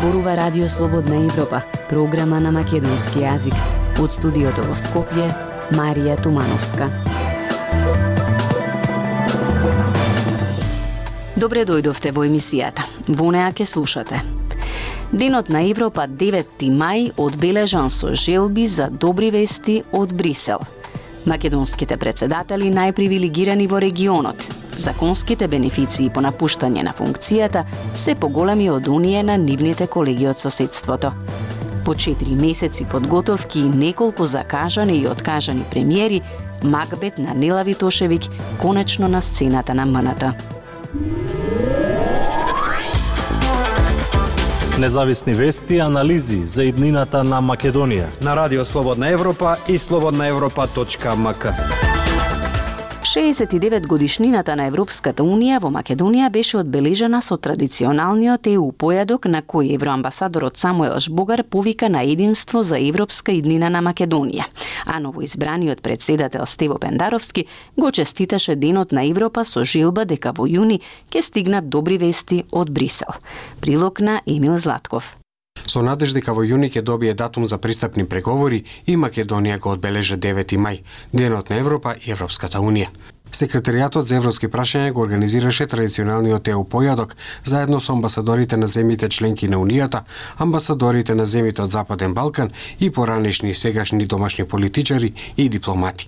зборува Радио Слободна Европа, програма на македонски јазик. Од студиото во Скопје, Марија Тумановска. Добре дојдовте во емисијата. Во неа ке слушате. Денот на Европа 9 мај одбележан со желби за добри вести од Брисел. Македонските председатели најпривилегирани во регионот. Законските бенефиции по напуштање на функцијата се поголеми од оние на нивните колеги од соседството. По 4 месеци подготовки и неколку закажани и откажани премиери, макбет на Нела Витошевиќ конечно на сцената на МНТ. Независни вести и анализи за иднината на Македонија на Радио Слободна Европа и slobodnaevropa.mk. 69 годишнината на Европската Унија во Македонија беше одбележана со традиционалниот ЕУ појадок на кој евроамбасадорот Самуел Жбогар повика на единство за европска иднина на Македонија, а новоизбраниот председател Стево Пендаровски го честиташе Денот на Европа со желба дека во јуни ќе стигнат добри вести од Брисел. Прилог на Емил Златков. Со надеж дека во јуни ќе добие датум за пристапни преговори и Македонија го одбележа 9 мај, Денот на Европа и Европската Унија. Секретаријатот за европски прашања го организираше традиционалниот ЕУ појадок заедно со амбасадорите на земјите членки на Унијата, амбасадорите на земјите од Западен Балкан и поранешни и сегашни домашни политичари и дипломати.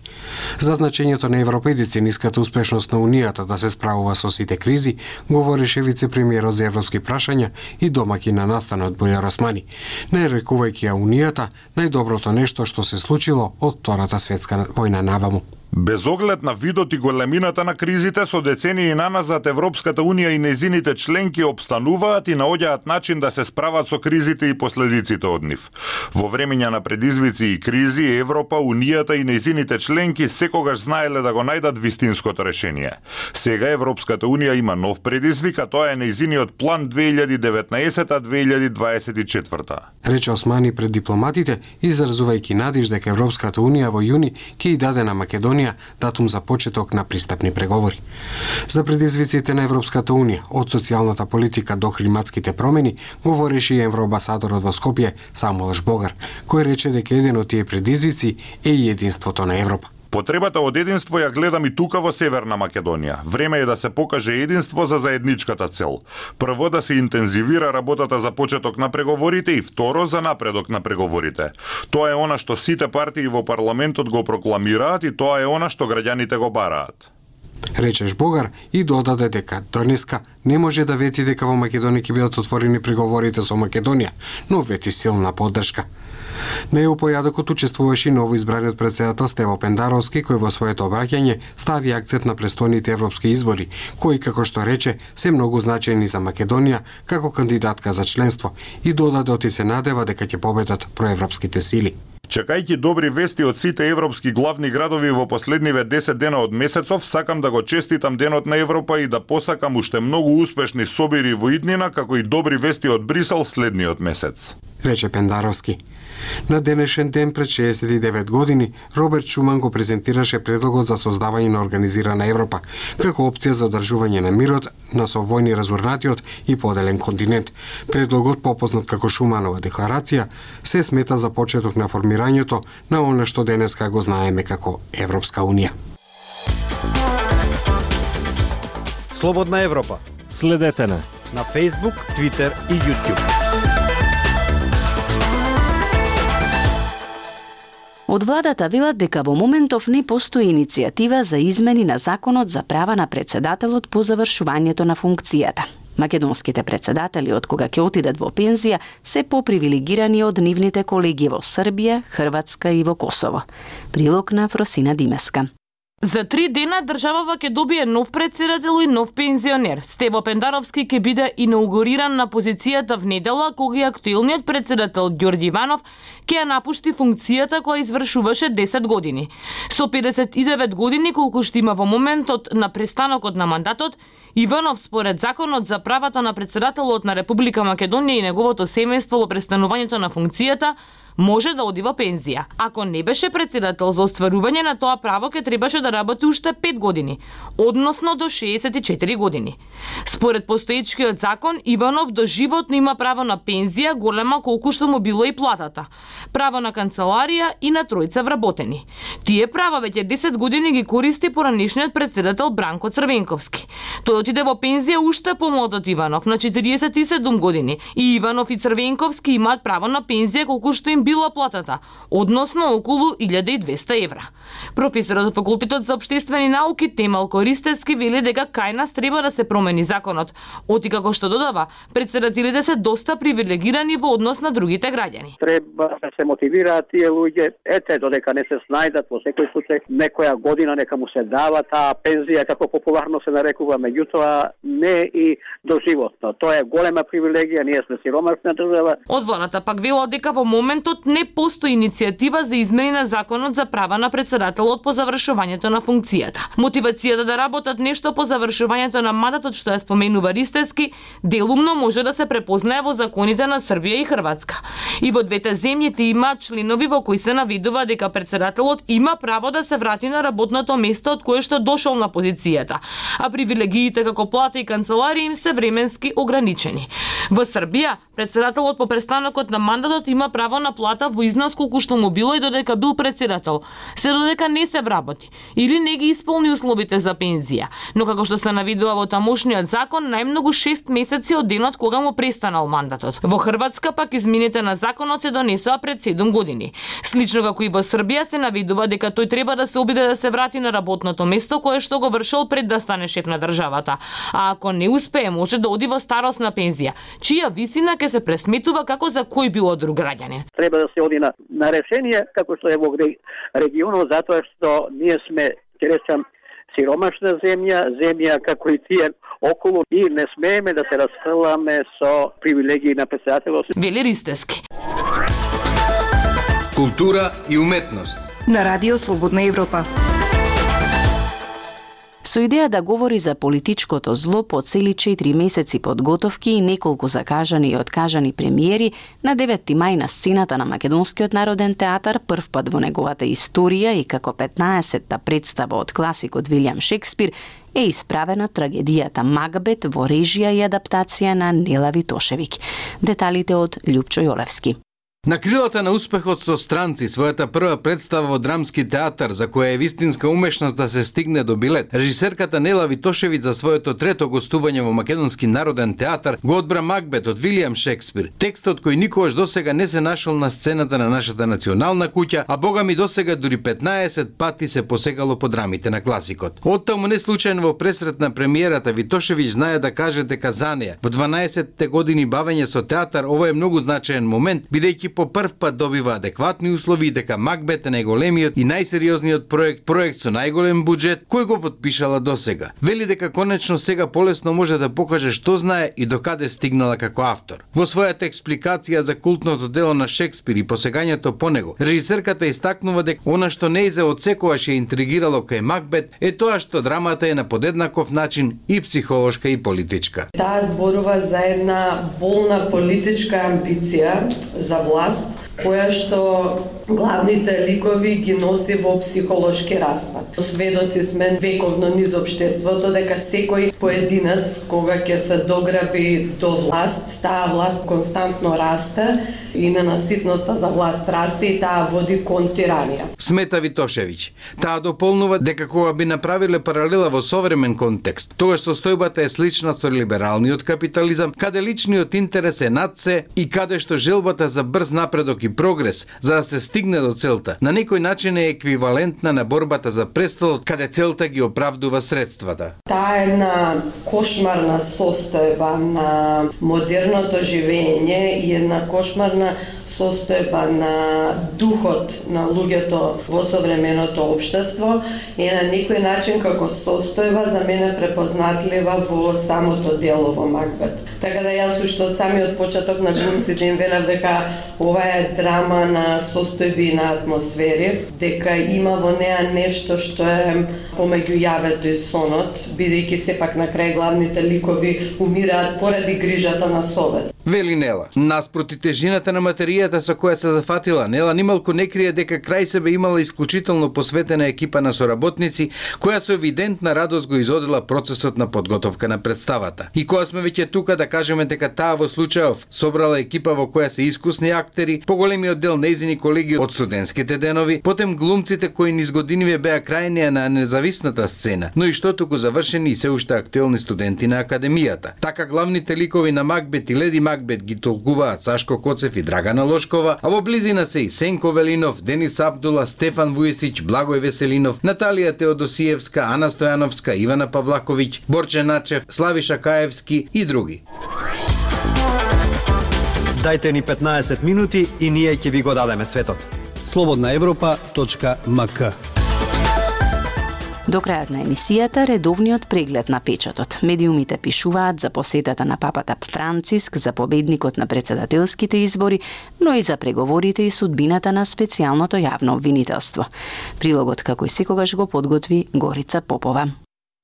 За значењето на Европа и децениската успешност на Унијата да се справува со сите кризи, говореше вице-премиерот за европски прашања и домаќин на настанот Бојар Османи, нарекувајќи ја Унијата најдоброто нешто што се случило од Втората светска војна наваму. Без оглед на видот и големината на кризите, со децении наназад Европската Унија и нејзините членки обстануваат и наоѓаат начин да се справат со кризите и последиците од нив. Во времења на предизвици и кризи, Европа, Унијата и нејзините членки секогаш знаеле да го најдат вистинското решение. Сега Европската Унија има нов предизвик, а тоа е нејзиниот план 2019-2024. Рече Османи пред дипломатите, изразувајќи надеж дека Европската Унија во јуни ќе и даде на Македонија датум за почеток на пристапни преговори. За предизвиците на Европската Унија, од социјалната политика до климатските промени, говореше и евроамбасадорот во Скопје Самуел Жбогар, кој рече дека еден од тие предизвици е и единството на Европа. Потребата од единство ја гледам и тука во Северна Македонија. Време е да се покаже единство за заедничката цел. Прво да се интензивира работата за почеток на преговорите и второ за напредок на преговорите. Тоа е она што сите партии во парламентот го прокламираат и тоа е она што граѓаните го бараат. Рече Жбогар и додаде дека денеска не може да вети дека во Македонија ќе бидат отворени преговорите со Македонија, но вети силна поддршка. На ЕУ појадокот учествуваше новоизбраниот председател Стево Пендаровски, кој во своето обраќање стави акцент на престојните европски избори, кои, како што рече, се многу значајни за Македонија како кандидатка за членство и додаде и се надева дека ќе победат проевропските сили. Чекајќи добри вести од сите европски главни градови во последниве 10 дена од месецов, сакам да го честитам Денот на Европа и да посакам уште многу успешни собири во иднина, како и добри вести од Брисел следниот месец. Рече Пендаровски. На денешен ден пред 69 години, Роберт Шуман го презентираше предлогот за создавање на организирана Европа, како опција за одржување на мирот на со војни разурнатиот и поделен континент. Предлогот, попознат како Шуманова декларација, се смета за почеток на формирањето на она што денеска го знаеме како Европска Унија. Слободна Европа. Следете на Facebook, Twitter и YouTube. Од владата велат дека во моментов не постои иницијатива за измени на законот за права на председателот по завршувањето на функцијата. Македонските председатели од кога ќе отидат во пензија се попривилегирани од нивните колеги во Србија, Хрватска и во Косово. Прилог на Фросина Димеска. За 3 дена државава ќе добие нов председател и нов пензионер. Стево Пендаровски ќе биде инаугуриран на позицијата в недела, кога актуелниот председател Ѓорѓи Иванов ќе ја напушти функцијата која извршуваше 10 години. Со 59 години колку што има во моментот на престанокот на мандатот, Иванов според законот за правата на председателот на Република Македонија и неговото семејство во престанувањето на функцијата може да оди во пензија. Ако не беше председател, за остварување на тоа право ќе требаше да работи уште 5 години, односно до 64 години. Според постоечкиот закон, Иванов доживотно има право на пензија голема колку што му било и платата, право на канцеларија и на тројца вработени. Тие права веќе 10 години ги користи поранешниот председател Бранко Црвенковски. Тој отиде во пензија уште помлад од Иванов, на 47 години, и Иванов и Црвенковски имаат право на пензија колку што им била платата, односно околу 1200 евра. Професорот од факултетот за општествени науки Темал Користевски вели дека кај нас треба да се промени законот, оти како што додава, председателите се доста привилегирани во однос на другите граѓани. Треба да се мотивираат тие луѓе, додека не се снајдат во секој случај, некоја година нека му се дава таа пензија како популарно се нарекува, меѓутоа не и доживотно. Тоа е голема привилегија, ние сме сиромашна држава. Од владата пак велат дека во моментот не постои иницијатива за измени на законот за права на председателот по завршувањето на функцијата. Мотивацијата да работат нешто по завршувањето на мандатот, што ја споменува Ристевски, делумно може да се препознае во законите на Србија и Хрватска. И во двете земјите има членови во кои се навидува дека председателот има право да се врати на работното место од кое што дошол на позицијата, а привилегиите како плата и канцеларија им се временски ограничени. Во Србија, председателот по престанокот на мандатот има право на плата во износ колку што му било и додека бил председател, се додека не се вработи или не ги исполни условите за пензија. Но како што се навидува во тамошниот закон, најмногу 6 месеци од денот кога му престанал мандатот. Во Хрватска пак измените на законот се донесоа пред 7 години. Слично како и во Србија се навидува дека тој треба да се обиде да се врати на работното место кое што го вршил пред да стане шеф на државата. А ако не успее, може да оди во старосна пензија, чија висина ќе се пресметува како за кој било друг граѓанин. Треба да се оди на решение како што е во регионот, затоа што ние сме, ќе речам, сиромашна земја како и тие околу, и не смееме да се расфрламе со привилегии на председателот. Вели Ристевски. Култура и уметност на Радио Слободна Европа. Со идеја да говори за политичкото зло по цели 4 месеци подготовки и неколку закажани и откажани премиери, на 9 мај на сцената на Македонскиот народен театар, првпат во неговата историја и како 15-та представа од класикот Вилијам Шекспир, е исправена трагедијата Макбет во режија и адаптација на Нела Витошевиќ. Деталите од Љупчо Јолевски. На крилата на успехот со Странци, својата прва представа во драмски театар, за која е вистинска умешност да се стигне до билет, режисерката Нела Витошевиќ за своето трето гостување во Македонски народен театар го одбра Макбет од Вилијам Шекспир, текстот кој никогаш досега не се нашол на сцената на нашата национална куќа, а богами досега дури 15 пати се посегало по драмите на класикот. Оттаму не случајно во пресрет на премиерата Витошевиќ знае да каже дека за неа во 12 години бавење со театар ова е многу значаен момент, бидејќи по прв пат добива адекватни услови, дека Макбет е најголемиот и најсериозниот проект со најголем буџет кој го подпишала досега. Вели дека конечно сега полесно може да покаже што знае и докаде стигнала како автор. Во својата експликација за култното дело на Шекспир и посегањето по него, режисерката истакнува дека она што нејзе одсекогаш ја интригирало кај Макбет е тоа што драмата е на подеднаков начин и психолошка и политичка. Таа зборува за една болна политичка амбиција за власт, која што главните ликови ги носи во психолошки распад. Сведоци сме вековно низ општеството дека секој поединец кога ќе се дограби до власт, таа власт константно расте и ненаситноста за власт расте и таа води кон тиранија. Смета Витошевиќ. Таа дополнува дека кога би направиле паралела во современ контекст, тогаш состојбата е слична со либералниот капитализам, каде личниот интерес е над се и каде што желбата за брз напредок и прогрес за да се стигне до целта на некој начин е еквивалентна на борбата за престолот, каде целта ги оправдува средствата. Таа е една кошмарна состојба на модерното живење и една кошмарна состојба на духот на луѓето во современото општество е на некој начин како состојба за мене препознатлива во самото дело во Макбет. Така да јас уште од самиот почеток на глумците им велев дека ова е драма на состојби и на атмосфери, дека има во неа нешто што е помеѓу јавето и сонот, бидејќи сепак на крај главните ликови умираат поради грижата на совест. Вели Нела. Наспроти тежината на материјата со која се зафатила, Нела нималку не крие дека крај себе имала исклучително посветена екипа на соработници, која со евидентна радост го изодела процесот на подготовка на представата. И кога сме веќе тука да кажеме дека таа во случајов собрала екипа во која се искусни актери, поголемиот дел нејзини колеги од студентските денови, потем глумците кои низ годиниве беа крајнија на независната сцена, но и што туку завршени и се уште актуелни студенти на академијата. Така главните ликови на Макбет и Леди Макбет ги толкуваат Сашко Коцев и Драгана Лошкова, а во близина се и Сенко Велинов, Денис Абдула, Стефан Вујесич, Благој Веселинов, Наталија Теодосиевска, Ана Стојановска, Ивана Павлаковиќ, Борче Начев, Славиша Каевски и други. Дајте ни 15 минути и ние ќе ви го дадеме светот. slobodnaevropa.mk. До крајот на емисијата, редовниот преглед на печатот. Медиумите пишуваат за посетата на папата Франциск, за победникот на председателските избори, но и за преговорите и судбината на специјалното јавно обвинителство. Прилогот, како и секогаш, го подготви Горица Попова.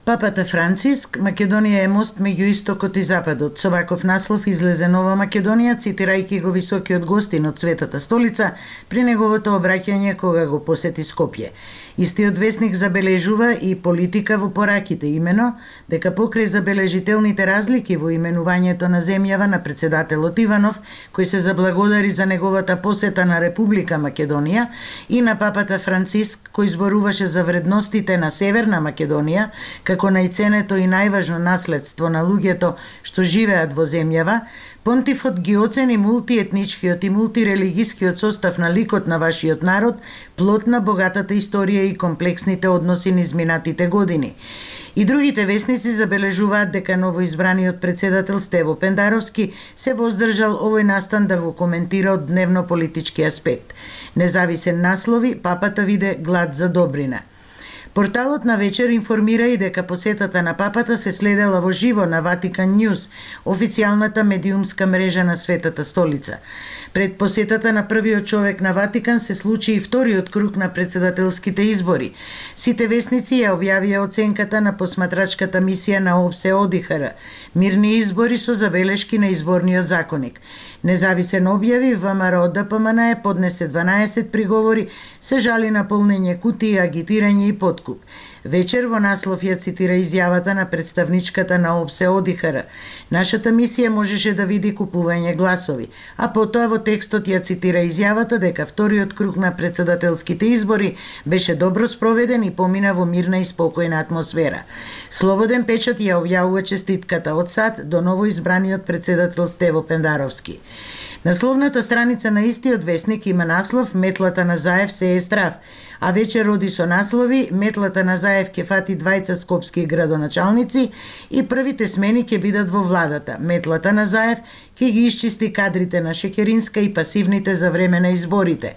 Папата Франциск, Македонија е мост меѓу истокот и западот. Со ваков наслов излезе Нова Македонија, цитирајќи го високиот гостин од Светата столица при неговото обраќање кога го посети Скопје. Истиот весник забележува и политика во пораките, имено дека покрај забележителните разлики во именувањето на земјава на председателот Иванов, кој се заблагодари за неговата посета на Република Македонија, и на папата Франциск, кој зборуваше за вредностите на Северна Македонија, како најценето и најважно наследство на луѓето што живеат во земјава, Понтифот ги оцени мултиетничкиот и мултирелигискиот состав на ликот на вашиот народ, плод на богатата историја и комплексните односи низ минатите години. И другите весници забележуваат дека новоизбраниот председател Стево Пендаровски се воздржал овој настан да го коментира од дневно-политички аспект. Независен наслови, папата виде глад за добрина. Порталот на вечер информира и дека посетата на папата се следела во живо на Ватикан Ньюс, официјалната медиумска мрежа на Светата столица. Пред посетата на првиот човек на Ватикан се случи и вториот круг на председателските избори. Сите весници ја објавија оценката на посматрачката мисија на ОПСЕ ОДИХР, мирни избори со забелешки на изборниот законник. Независен објави, ВМРО ДПМН поднесе 12 приговори, се жали на полнење кутии, агитирање и подкуп. Вечер во наслов ја цитира изјавата на представничката на ОПСЕ ОДИХР. Нашата мисија можеше да види купување гласови, а потоа во текстот ја цитира изјавата дека вториот круг на председателските избори беше добро спроведен и помина во мирна и спокојна атмосфера. Слободен печат ја објавува честитката од САД до новоизбраниот председател Стево Пендаровски. Насловната страница на истиот весник има наслов "Метлата на Заев се е здрав", а вечер роди со наслови "Метлата на Заев ќе фати двајца скопски градоначалници" и "Првите смени ќе бидат во владата. Метлата на Заев ќе ги исчисти кадрите на Шекеринска и пасивните за време на изборите".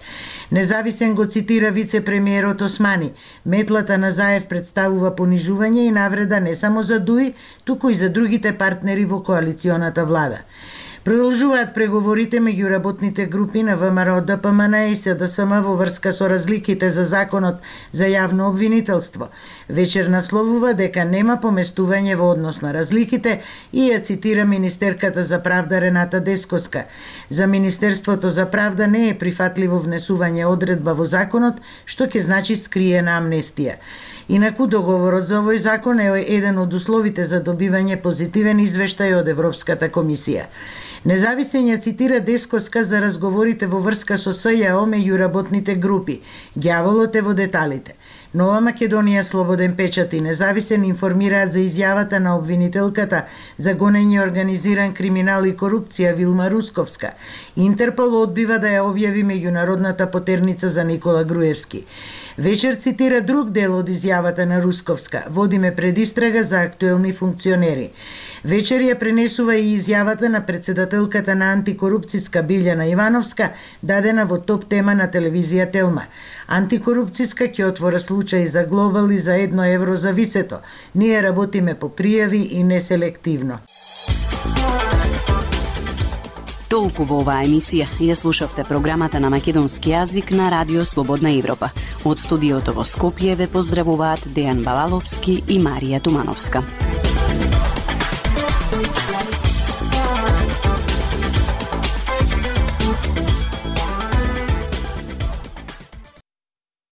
Независен го цитира вице-премиерот Османи. "Метлата на Заев представува понижување и навреда не само за ДУИ, туку и за другите партнери во коалиционата влада". Продолжуваат преговорите меѓу работните групи на ВМРО ДПМН и СДСМ во врска со разликите за законот за јавно обвинителство. Вечер насловува дека нема поместување во однос на разликите и ја цитира министерката за правда Рената Дескоска. За Министерството за правда не е прифатливо внесување одредба во законот, што ќе значи скриена амнестија. Инаку договорот за овој закон е еден од условите за добивање позитивен извештај од Европската комисија. Независен ја цитира Дескоска за разговорите во врска со СЈО меѓу работните групи. Ѓаволот е во деталите. Нова Македонија, Слободен печат и Независен информираат за изјавата на обвинителката за гонење организиран криминал и корупција Вилма Русковска. Интерпол одбива да ја објави меѓународната потерница за Никола Груевски. Вечер цитира друг дел од изјавата на Русковска. "Водиме предистрага за актуелни функционери". Вечер ја пренесува и изјавата на председателката на антикорупцијска Билјана Ивановска, дадена во топ тема на телевизија Телма. Антикорупцијска ќе отвора случај за Глобал и за €1 за висето. Ние работиме по пријави и неселективно. Толку во оваа емисија. Ја слушавте програмата на македонски јазик на Радио Слободна Европа. Од студиото во Скопје ве поздравуваат Дејан Балаловски и Марија Тумановска.